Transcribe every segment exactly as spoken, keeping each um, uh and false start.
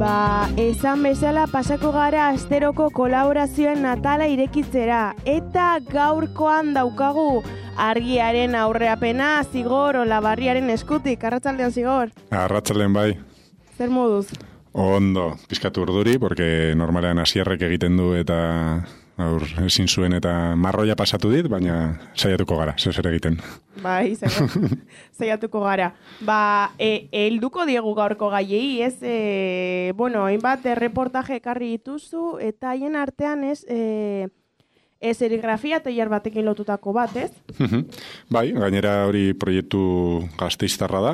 Ba, esan bezala pasako gara asteroko kolaborazioen atala irekitzera. Eta gaurkoan daukagu argiaren aurreapena Zigor Olabarriaren eskutik. Arratsaldean, Zigor. Arratsaldean bai. Zer moduz? Ondo, pizkatu urduri, porque normalean hasierrek egiten du eta aur, ezin zuen eta marroia pasatu dit, baina saiatuko gara, zer egiten. Bai, saiatuko gara. Ba, e, helduko diegu gaurko gaiei, ez, e, bueno, hainbat reportaje ekarri dituzu, eta haien artean ez, e, e, serigrafia tailer batekin lotutako bat, ez? Bai, gainera hori proiektu Gasteiztarra da,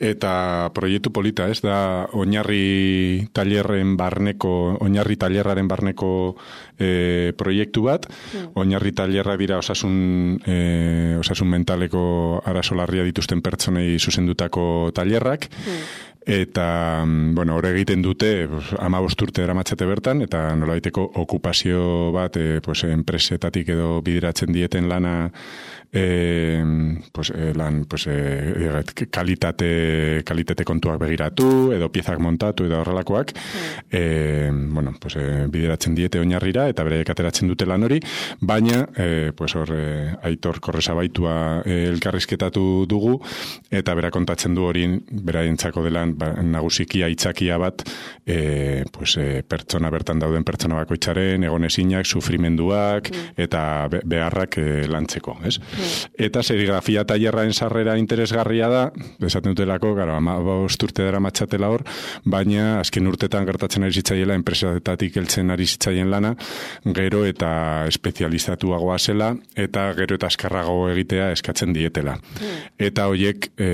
eta proiektu polita, ez da oinarri tailerren barneko, oinarri tailerraren barneko e, proiektu bat, oinarri tailerra dira osasun, e, osasun mentaleko arazo larria dituzten pertsonei zuzendutako tailerrak, eta, bueno, hori egiten dute hamabost urte daramatzate bertan, eta nolabaiteko okupazio bat e, pues, enpresetatik edo bideratzen dieten lana e, pues, e, lan pues, e, kalitate, kalitate kontuak begiratu, edo piezak montatu, edo horrelakoak, e, bueno, pues, e, bideratzen diete oinarrira, eta bere ateratzen dute lan hori, baina, e, pues, hor, e, Aitor Korresabaitua e, elkarrizketatu dugu, eta bera kontatzen du hori beraientzako delan ba, nagusiki aitzakia bat e, pues, e, pertsona bertan dauden pertsona bakoitzaren, egonezinak, sufrimenduak, mm. eta be, beharrak e, lantzeko, ez? Mm. Eta serigrafia tailerraen sarrera interesgarria da, esaten dutelako, gara, hamabost urte dara matxatela hor, baina azken urtetan gertatzen ari zitzaiela, enpresatatik heltzen ari zitzaien lana, gero eta espezializatuagoa zela, eta gero eta azkarrago egitea eskatzen dietela. Mm. Eta hoiek, e,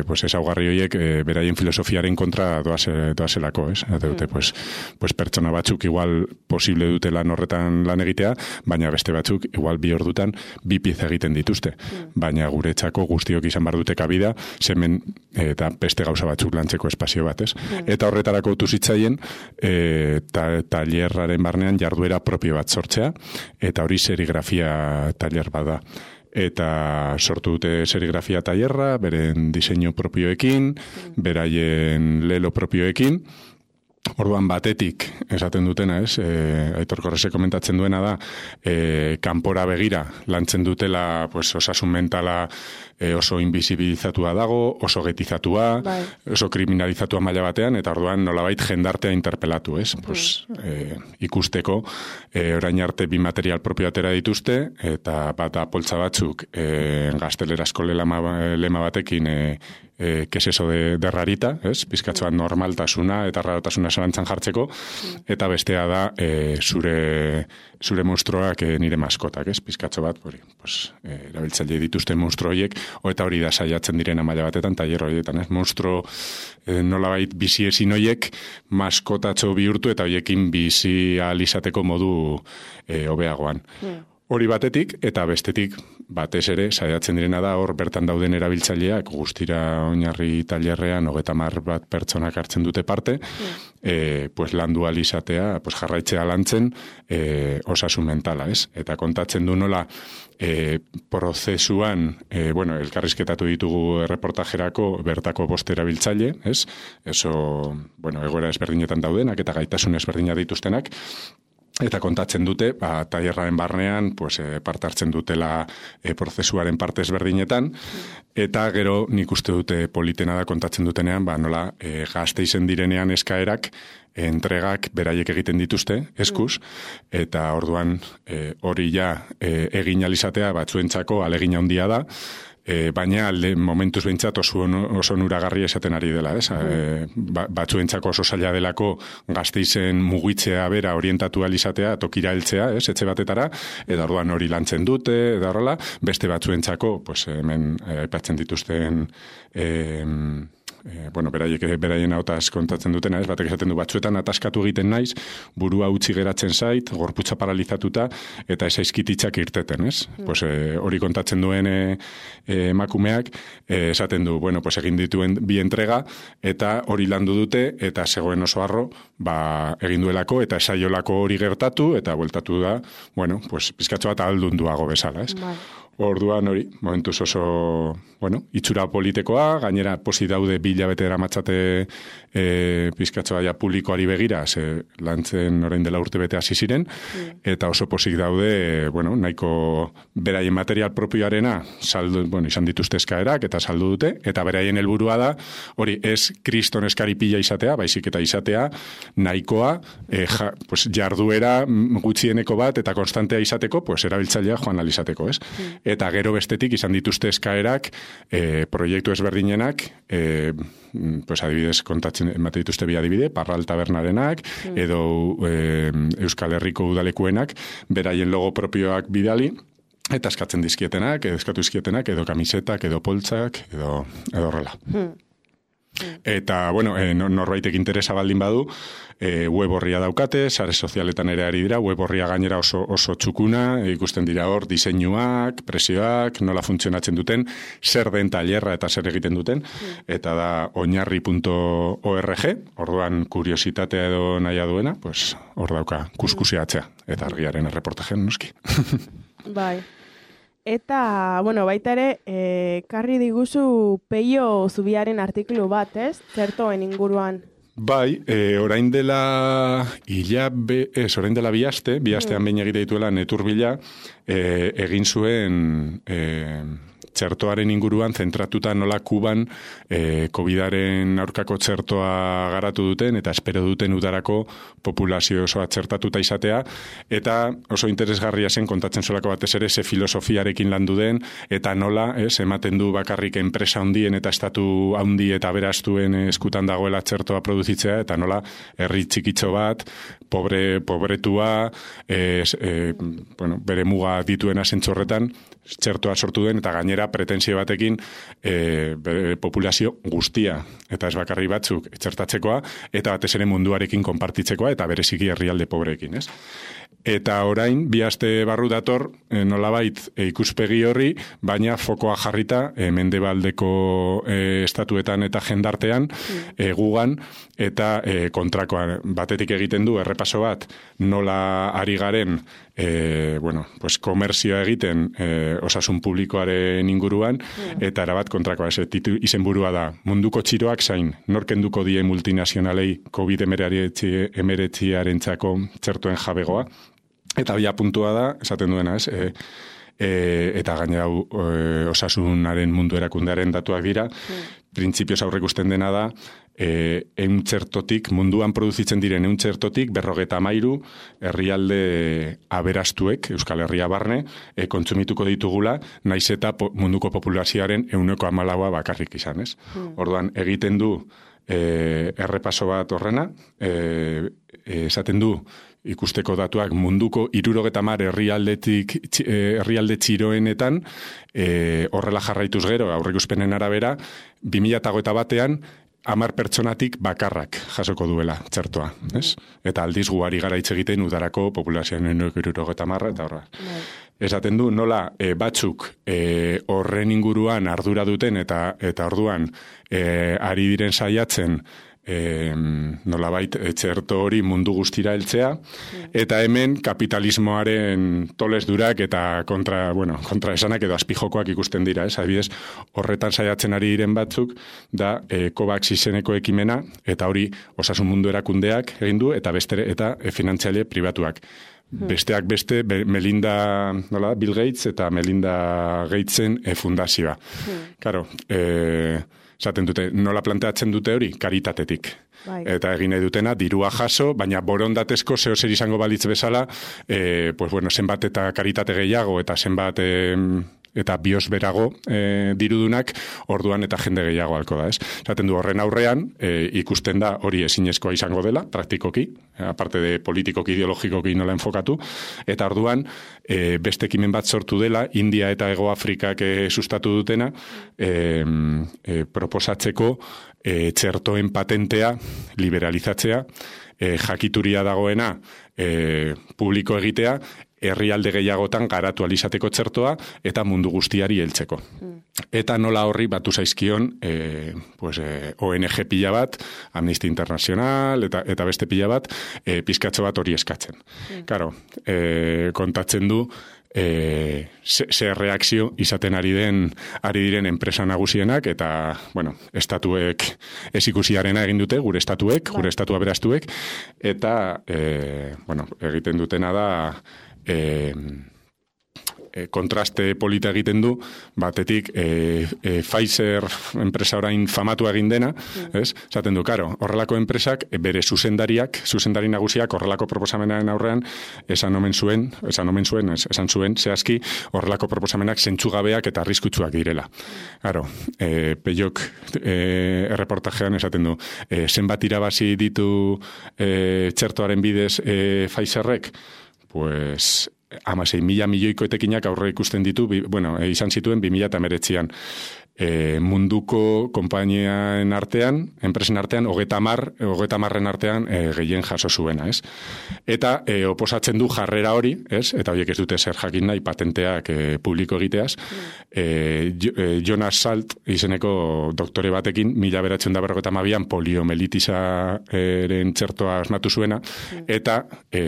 pues, ezaugarri hoiek, e, beraien filosofiaren kontra doazelako, ez? Eta dute, pues, pues pertsona batzuk igual posible dute lan horretan lan egitea, baina beste batzuk igual bi ordutan bi pieza egiten dituzte. Baina guretzako guztiok izan bar dute kabida, hemen eta beste gauza batzuk lantzeko espazio bat, ez? Eta horretarako utu zitzaien, e, ta, tailerraren barnean jarduera propio bat sortzea, eta hori serigrafia tailer bada. Eta sortu dute serigrafia tailerra, beren diseinu propioekin, beraien lelo propioekin. Orduan batetik, esaten dutena, ez, e, Aitor Korrese komentatzen duena da, e, kanpora begira lantzen dutela pues, osasun mentala e, oso invisibilizatua dago, oso getizatua, bai. Oso kriminalizatua maila batean, eta orduan nolabait jendartea interpelatu, ez? Mm. Pues, e, ikusteko, e, orain arte bi material propio atera dituzte, eta bat poltsa batzuk e, gaztelerazko lema, lema batekin e, E, que es eso de, de rarita, ez? Pizkatzoan normaltasuna eta rarotasuna zalantzan jartzeko, eta bestea da e, zure, zure monstruoak e, nire maskotak, ez? Pizkatzo bat, hori, pues, e, erabiltzaile dituzten monstru horiek, o eta hori da saiatzen direna maila batetan, tailer horietan, ez? Monstru e, nolabait bizi ezin horiek maskotatxo bihurtu eta horiekin bizi ahal izateko modu e, hobeagoan. Mm. Hori batetik, eta bestetik, batez ere, saiatzen direna da, hor bertan dauden erabiltzaileak, guztira oinarri tailerrean, hogeta mar bat pertsonak hartzen dute parte, mm. e, pues landu ahal izatea, pues jarraitzea lantzen, e, osasun mentala, ez? Eta kontatzen du nola, e, prozesuan, e, bueno, elkarrizketatu ditugu erreportajerako, bertako bost erabiltzaile, ez? Eso, bueno, egoera ezberdinetan daudenak, eta gaitasun ezberdina dituztenak, eta kontatzen dute, ba, tailerraren barnean, pues, e, parte hartzen dutela e, prozesuaren parte ezberdinetan, eta gero nik uste dute politena da kontatzen dutenean, ba, nola e, Gasteizen direnean eskaerak, entregak beraiek egiten dituzte, eskuz, eta orduan e, hori ja e, egin alizatea batzuentzako alegin handia da, e, baina alde momentuz behintzat oso, oso nuragarri esaten ari dela, ez? E, ba, batzuentzako oso zaila delako Gasteizen mugitzea bera orientatu alizatea, tokira heltzea, ez? Etxe batetara, eta orduan hori lantzen dute, eta horrela, beste batzuentzako, pues, hemen aipatzen dituzten e, E, bueno, beraiek beraien hautaz kontatzen dutena, ez, batek esaten du batzuetan ataskatu egiten naiz, burua utzi geratzen zait, gorputza paralizatuta, eta ez aizkititzak irteten, ez? Mm. Pues, e, hori kontatzen duen e, e, emakumeak, e, esaten du, bueno, pues egin dituen bi entrega, eta hori landu dute, eta zegoen oso harro, ba, egin duelako, eta esaiolako hori gertatu, eta bueltatu da, bueno, pues, pizkatxo bat aldunduago bezala, ez? Bai. Orduan hori, momentuz oso, bueno, itxura politekoa, gainera posi daude bi hilabete eramatzate e, pizkatxoa ja publikoari begira, ze lantzen orain dela urte bete hasi ziren, mm. eta oso posik daude, e, bueno, nahiko beraien material propioarena saldu, bueno, izan dituzte eskaerak eta saldu dute, eta beraien helburua da, hori ez kriston eskari pila izatea, baizik eta izatea nahikoa, e, ja, pues, jarduera gutxieneko bat eta konstantea izateko, pues, erabiltzailea joan alizateko, ez? Mm. Eta gero bestetik izan dituzte eskaerak, e, proiektu ezberdinenak, e, pues adibidez kontatzen emate dituzte bi adibide, Parral Tabernarenak, mm. edo e, Euskal Herriko udalekuenak, beraien logo propioak bidali, eta eskatzen dizkietenak, edo eskatu dizkietenak, edo kamisetak, edo poltsak, edo, edo horrela. Mm. Eta, bueno, e, norbaitek interesa baldin badu, e, web horria daukate, sare sozialetan ere ari dira, web horria gainera oso, oso txukuna, ikusten dira hor diseinuak, presioak, nola funtzionatzen duten, zer den tailerra eta zer egiten duten, eta da oinarri punto org, orduan kuriositatea edo naia duena, pues hor dauka kuskusiatzea, eta argiaren erreportajen noski. Bai. Eta, bueno, baita ere, e, karri diguzu Peio Zubiaren artikulu bat, ez? Zertoen inguruan. Bai, e, orain dela hilabe, ez, orain dela bi aste, bi astean behin egite dituela Neturbila, e, egin zuen e, txertoaren inguruan zentratuta nola Kuban e, COVIDaren aurkako txertoa garatu duten eta espero duten udarako populazio osoa txertatuta izatea, eta oso interesgarria zen kontatzen solako batez ere ze filosofiarekin landu den, eta nola, ez, ematen du bakarrik enpresa handien eta estatu handi eta beraztuen eskutan dagoela txertoa produzitzea, eta nola herri txikitxo bat, pobre, pobretua, e, e, bueno, bere muga dituena zentzorretan, txertoa sortu den, eta gainera pretensio batekin e, bere populazio guztia, eta ez bakarri batzuk txertatzekoa, eta batez ere munduarekin konpartitzekoa, eta bereziki herrialde pobreekin, ez? Eta orain, bi aste barru dator, e, nolabait e, ikuspegi horri, baina fokoa jarrita e, mendebaldeko e, estatuetan eta jendartean, e, gugan, eta e, kontrakoa batetik egiten du, errepaso bat, nola ari garen, e, bueno, pues, komerzioa egiten e, osasun publikoaren inguruan, eta erabat kontrakoa, ez, titu, izenburua da, munduko txiroak zain, norkenduko die multinazionalei COVID emeretziarentzako txertuen jabegoa, eta bia puntua da, esaten duena, ez, e, e, eta gainera e, osasunaren mundu erakundearen datuak dira, mm. printzipioz aurrekusten dena da, e, eun txertotik, munduan produzitzen diren eun txertotik, berrogeta amairu, herrialde aberastuek, Euskal Herria barne, e, kontsumituko ditugula, naiz eta po, munduko populazioaren euneko amalaua bakarrik izan, ez? Mm. Orduan, egiten du e, errepaso bat horrena, e, e, esaten du, ikusteko datuak munduko hirurogeta hamar herrialdetik herrialde txiroenetan e, horrela jarraituz gero aurreikuspenen arabera bi mila hogeita batean hamar pertsonatik bakarrak jasoko duela txertoa, ez? Eta aldiz guari gara hitz egiten udarako populazioaren hirurogeta hamar eta horra. Esaten du nola e, batzuk e, horren inguruan ardura duten eta eta orduan e, ari diren saiatzen E, nolabait txerto hori mundu guztira heltzea, eta hemen kapitalismoaren toles durak eta kontra, bueno, kontra esanak edo azpijokoak ikusten dira, ez? Adibidez, horretan saiatzen ari diren batzuk, da e, COVAX izeneko ekimena, eta hori osasun mundu erakundeak egin du, eta bestere, eta e, finantziale pribatuak. Besteak beste, be, Melinda, nola, Bill Gates eta Melinda Gatesen e, fundazioa. Karo, e, esaten dute, nola planteatzen dute hori? Karitatetik. Bai. Eta egin nahi dutena, dirua jaso, baina borondatezko zeo zer izango balitz bezala, e, pues bueno, zenbat eta karitate gehiago, eta zenbat e, eta biosberago e, dirudunak, orduan eta jende gehiago alko da, ez? Zaten du horren aurrean, e, ikusten da hori ezinezkoa izango dela, praktikoki, aparte de politikoki, ideologikoki nola enfokatu, eta orduan e, beste ekimen bat sortu dela, India eta Hego Afrikak e, sustatu dutena, e, e, proposatzeko e, txertoen patentea, liberalizatzea, e, jakituria dagoena e, publiko egitea, herrialde gehiagotan garatu alizateko txertoa eta mundu guztiari heltzeko. Mm. Eta nola horri batu zaizkion e, pues, e, O N G pila bat, Amnistia Internacional eta, eta beste pila bat, e, pizkatxo bat hori eskatzen. Mm. Karo, e, kontatzen du E, ze, ze reakzio izaten ari den ari diren enpresa nagusienak eta, bueno, estatuek ez ikusiarena egin dute, gure estatuek, gure estatua beraztuek, eta, e, bueno, egiten dutena da e, e, kontraste polita egiten du, batetik e, e, Pfizer enpresa orain famatu egin dena, mm. ez? Zaten du, karo, horrelako enpresak, e, bere zuzendariak, zuzendari nagusiak horrelako proposamenaren aurrean, esan omen zuen, esan omen zuen, esan zuen, zehazki, horrelako proposamenak zentzugabeak eta arriskutsuak direla. Karo, e, Peiok e, erreportajean esaten du, e, zenbat irabazi ditu e, txertoaren bidez e, Pfizerrek, pues hamasei mila milioiko etekinak aurre ikusten ditu, bi, bueno, e, izan zituen bi mila eta hemeretzian. E, munduko konpainiaen artean, enpresen artean, hogeta mar, hogeta marren artean e, gehien jaso zuena, ez? Eta e, oposatzen du jarrera hori, ez? Eta horiek ez dute zer jakin nahi patenteak e, publiko egiteaz. E, e, Jonas Salt izeneko doktore batekin, mila beratzen da berrogeta mabian, poliomelitisaaren txertoa asmatu zuena, eta e,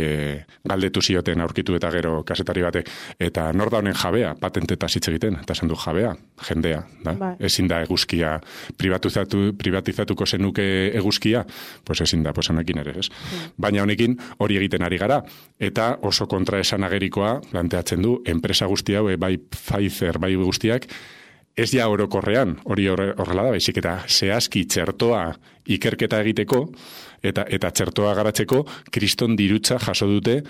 galdetu zioten aurkitu eta gero kasetari batek, eta nor da honen jabea, patentetaz hitz egiten, eta esan du jabea, jendea, da? Bai. Ezin da eguzkia, privatizatu, privatizatuko zenuke eguzkia, pues ezin da, pues honekin ere, ez? Mm. Baina honekin hori egiten ari gara, eta oso kontraesan agerikoa planteatzen du, enpresa guzti hau, bai Pfizer, bai guztiak, ez ja orokorrean, hori horrela da, baizik eta zehazki txertoa ikerketa egiteko, eta eta txertoa garatzeko, kriston dirutza jaso dute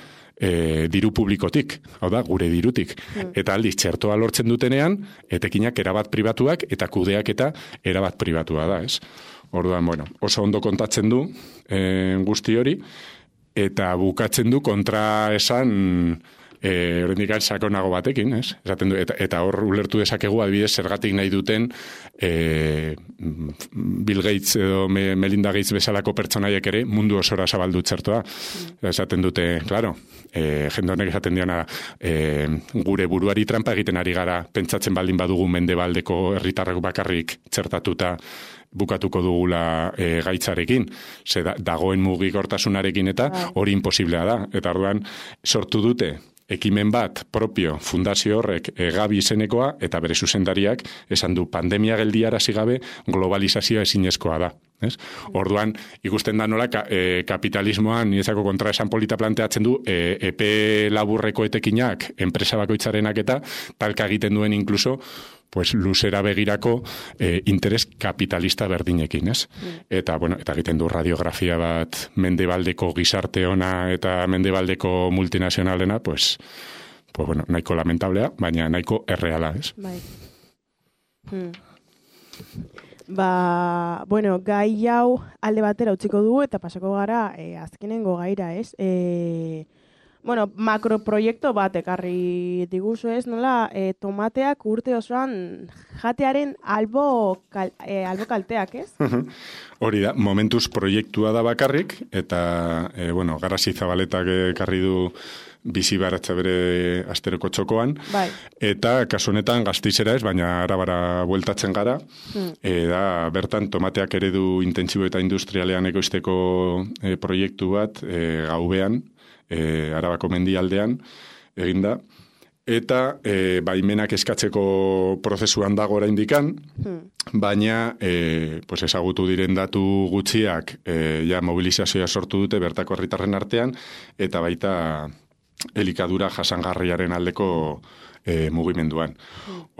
E, diru publikotik, hau da, gure dirutik. Mm. Eta aldiz, txertoa lortzen dutenean, etekinak erabat pribatuak eta kudeak eta erabat pribatua da, ez? Orduan, bueno, oso ondo kontatzen du e, guzti hori, eta bukatzen du kontra esan e, horrendik sakonago batekin, ez? Esaten du, eta, eta hor ulertu dezakegu adibidez zergatik nahi duten e, Bill Gates edo Melinda Gates bezalako pertsonaiek ere mundu osora zabaldu txertoa. Mm. Esaten dute, claro, e, jende honek esaten diona e, gure buruari trampa egiten ari gara, pentsatzen baldin badugu mendebaldeko herritarrak bakarrik txertatuta bukatuko dugula e, gaitzarekin, ze da, dagoen mugikortasunarekin eta hori imposiblea da. Eta orduan sortu dute ekimen bat propio fundazio horrek e, Gabi izenekoa eta bere zuzendariak esan du pandemia geldiarazi gabe globalizazioa ezinezkoa da. Ez? Orduan, ikusten da nola ka, e, kapitalismoan niretzako kontraesan polita planteatzen du e, epe laburreko etekinak enpresa bakoitzarenak eta talka egiten duen inkluso pues luzera begirako eh, interes kapitalista berdinekin, ez? Mm. Eta, bueno, eta egiten du radiografia bat mendebaldeko gizarte ona eta mendebaldeko multinazionalena, pues, pues bueno, nahiko lamentablea, baina nahiko erreala, ez? Bai. Hmm. Ba, bueno, gai hau alde batera utziko dugu eta pasako gara eh, azkenengo gaira, ez? Eh, Bueno, makroproiektu bat ekarri diguzu ez, nola, e, tomateak urte osoan jatearen albo, kal, e, albo kalteak, ez? Hori da, momentuz proiektua da bakarrik, eta, e, bueno, Garasi Zabaletak ekarri du bizi baratza bere asteroko txokoan, bai. Eta kasu honetan Gasteizera ez, baina Arabara bueltatzen gara, hmm. e, da, bertan tomateak eredu intentsibo eta industrialean ekoizteko e, proiektu bat e, gaubean, E, Arabako mendialdean eginda, eta e, baimenak eskatzeko prozesuan dago oraindikan, hmm. baina e, pues ezagutu diren datu gutxiak e, ja mobilizazioa sortu dute bertako herritarren artean, eta baita elikadura jasangarriaren aldeko E, mugimenduan.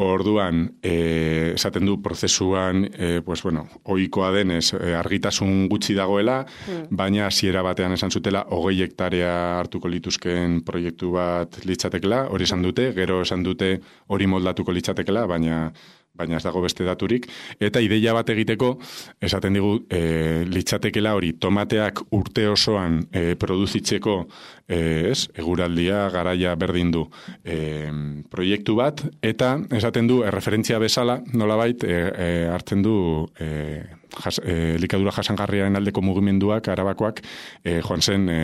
Orduan, e, esaten du prozesuan, e, pues bueno, ohikoa denez, e, argitasun gutxi dagoela, mm. baina hasiera batean esan zutela, hogei hektarea hartuko lituzken proiektu bat litzatekela, hori esan dute, gero esan dute hori moldatuko litzatekela, baina baina ez dago beste daturik, eta ideia bat egiteko, esaten digu, e, litzatekela hori, tomateak urte osoan e, produzitzeko, e, ez, eguraldia, garaia berdin du e, proiektu bat, eta esaten du, erreferentzia bezala, nolabait, e, e, hartzen du e, jas, e, elikadura jasangarriaren aldeko mugimenduak, Arabakoak, e, joan zen, e,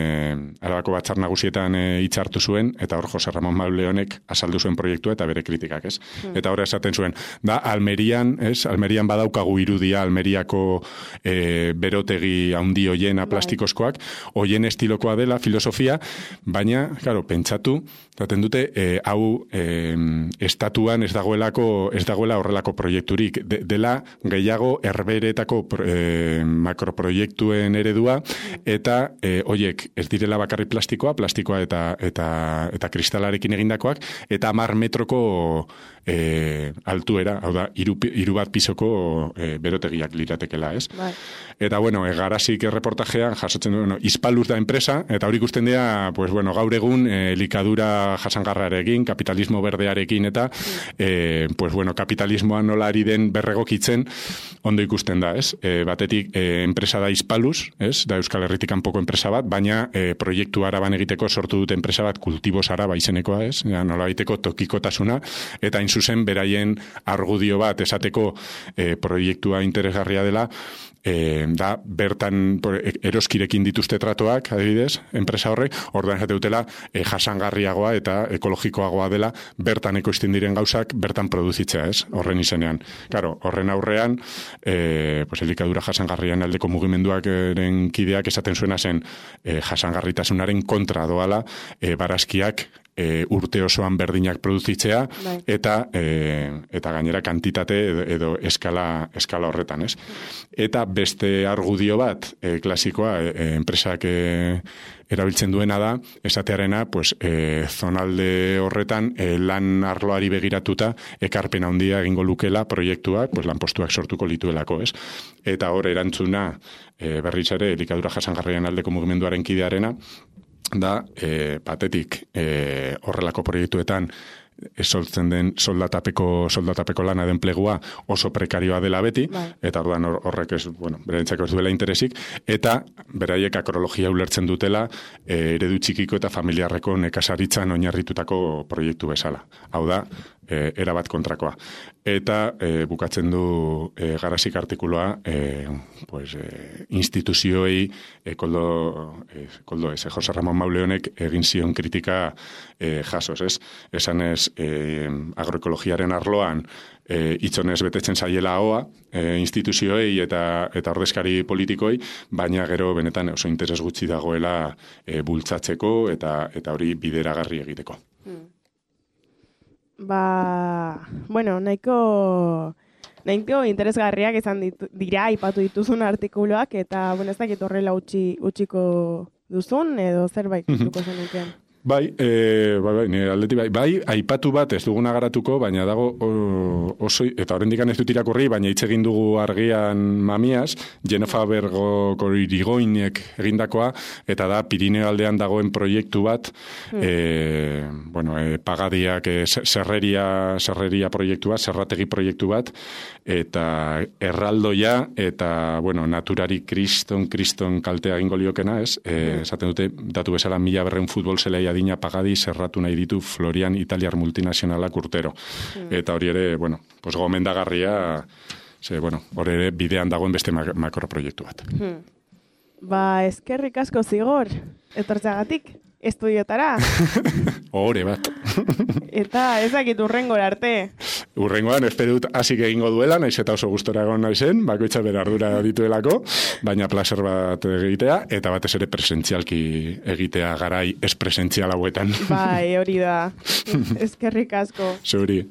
Arabako batzar nagusietan e, hitzartu zuen, eta hor Jose Ramon Mauleonek azaldu zuen proiektua eta bere kritikak, ez? Hmm. Eta hor esaten zuen, da, Almerian, ez? Almerian badaukagu irudia, Almeriako e, berotegi handi hoiena plastikozkoak, hoien estilokoa dela filosofia, baina, claro, pentsatu, zaten dute, e, hau e, estatuan ez dagoelako, ez dagoela horrelako proiekturik, de, dela gehiago herberetako e, makroproiektuen eredua, eta e, hoiek ez direla bakarri plastikoa, plastikoa eta eta eta kristalarekin egindakoak, eta hamar metroko e, altuera, hau da, hiru, hiru bat pisoko e, berotegiak liratekela, ez? Bai. Eta, bueno, e, Garasik reportajean jasotzen du, bueno, Hispaluz da enpresa, eta hori ikusten dira, pues, bueno, gaur egun e, elikadura jasangarrarekin, kapitalismo berdearekin, eta, e, pues, bueno, kapitalismoa nola ari den berregokitzen, ondo ikusten da, ez? E, batetik, e, enpresa da Hispaluz, ez? Da Euskal Herritik kanpoko enpresa bat, baina e, proiektu araban egiteko sortu dute enpresa bat kultibos araba izenekoa, ez? Ja, nola egiteko tokikotasuna, eta hain zuzen beraien argudio bat esateko e, proiektua interesgarria dela, e, da bertan eroskirekin dituzte tratoak, adibidez, enpresa horrek, orduan esate dutela e, jasangarriagoa eta ekologikoagoa dela bertan ekoizten diren gauzak bertan produzitzea, ez? Horren izenean. Claro, horren aurrean, e, pues, elikadura jasangarrian aldeko mugimenduak eren kideak esaten zuena zen e, jasangarritasunaren kontra doala e, barazkiak E, urte osoan berdinak produzitzea, bai. eta e, eta gainera kantitate edo, edo eskala, eskala horretan, ez? Eta beste argudio bat, e, klasikoa, e, enpresak e, erabiltzen duena da, esatearena, pues, e, zonalde horretan, e, lan arloari begiratuta, ekarpen handia egingo lukela proiektuak, pues, lanpostuak sortuko lituelako, ez? Eta hor erantzuna, e, berriz ere, elikadura jasangarrian aldeko mugimenduaren kidearena, da, e, batetik, e, horrelako proiektuetan soltzen den soldatapeko, soldatapeko lana den plegua oso prekarioa dela beti, bai. Eta orduan horrek ez, bueno, berentzako ez duela interesik, eta beraiek akrologia ulertzen dutela e, eredu txikiko eta familiarreko nekazaritzan oinarritutako proiektu bezala. Hau da, e, erabat kontrakoa. Eta e, bukatzen du e, Garasik artikuloa e, pues, e, instituzioei e, koldo, e, koldo ez, e, Jose Ramon Mauleonek egin zion kritika e, jasos, ez? Esan ez e, agroekologiaren arloan e, itzonez betetzen zaiela hoa e, instituzioei eta eta ordezkari politikoi, baina gero benetan oso interes gutxi dagoela e, bultzatzeko eta eta hori bideragarri egiteko. Hmm. Ba, bueno, nahiko, nahiko interesgarriak izan ditu, dira, aipatu dituzun artikuluak, eta, bueno, ez dakit horrela utzi, utziko duzun, edo zerbait duko zenukean. Bai, e, bai, bai, nire aldeti bai, bai, aipatu bat ez duguna garatuko, baina dago o, oso, eta horrendikan ez dut irakurri, baina hitz egin dugu argian mamiaz, Genofa Bergo Irigoinek egindakoa, eta da Pirineo aldean dagoen proiektu bat, hmm. e, bueno, e, pagadiak, e, serreria, serreria proiektu bat, serrategi proiektu bat, eta erraldoia, eta, bueno, naturari kriston, kriston kaltea egingo liokena, ez? E, esaten dute, datu bezala mila berreun futbol zelaia adina pagadi zerratu nahi ditu Florian italiar multinazionalak urtero. Mm. Eta hori ere, bueno, pues gomendagarria, ze, bueno, hori ere bidean dagoen beste makroproiektu bat. Mm. Ba, eskerrik asko zigor, etortzagatik, estudiotara. Hore bat. Eta ezakit urrengora arte. Urrengoan, espero dut hasik egingo duela, naiz eta oso gustora egon naizen, bakoitza bere ardura dituelako, baina placer bat egitea, eta batez ere presentzialki egitea garai ez presentzial hauetan. Bai, hori da. Eskerrik asko. Zuri.